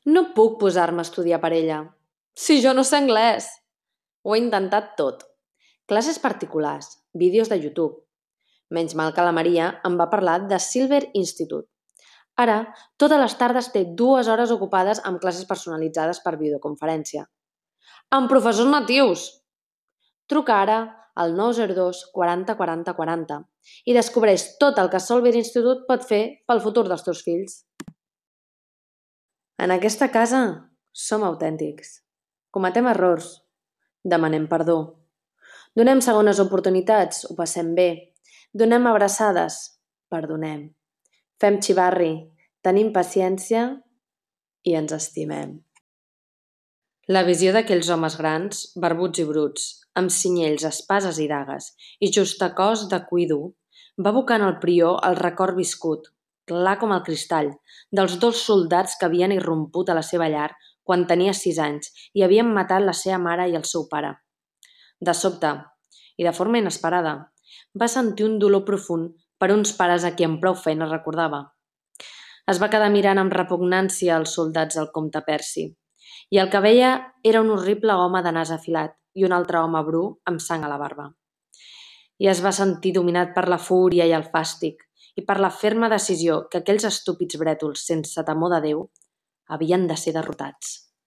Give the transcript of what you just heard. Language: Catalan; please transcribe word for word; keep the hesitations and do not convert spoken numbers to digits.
No puc posar-me a estudiar per ella. Si jo no sé anglès! Ho he intentat tot. Classes particulars, vídeos de YouTube. Menys mal que la Maria em va parlar de Silver Institute. Ara, totes les tardes té dues hores ocupades amb classes personalitzades per videoconferència. Amb professors natius! Truca ara al nou zero dos quaranta quaranta quaranta i descobreix tot el que Silver Institute pot fer pel futur dels teus fills. En aquesta casa som autèntics. Cometem errors. Demanem perdó. Donem segones oportunitats, ho passem bé. Donem abraçades, perdonem. Fem xivarri, tenim paciència i ens estimem. La visió d'aquells homes grans, barbuts i bruts, amb cinyells, espases i dagues, i justacós de cuir dur, va abocar en el prior el record viscut, clar com el cristall, dels dos soldats que havien irromput a la seva llar quan tenia sis anys i havien matat la seva mare i el seu pare. De sobte, i de forma inesperada, va sentir un dolor profund per uns pares a qui amb prou feina recordava. Es va quedar mirant amb repugnància els soldats del comte Percy, i el que veia era un horrible home de nas afilat i un altre home bru amb sang a la barba. I es va sentir dominat per la fúria i el fàstic i per la ferma decisió que aquells estúpids brètols sense temor de Déu havien de ser derrotats.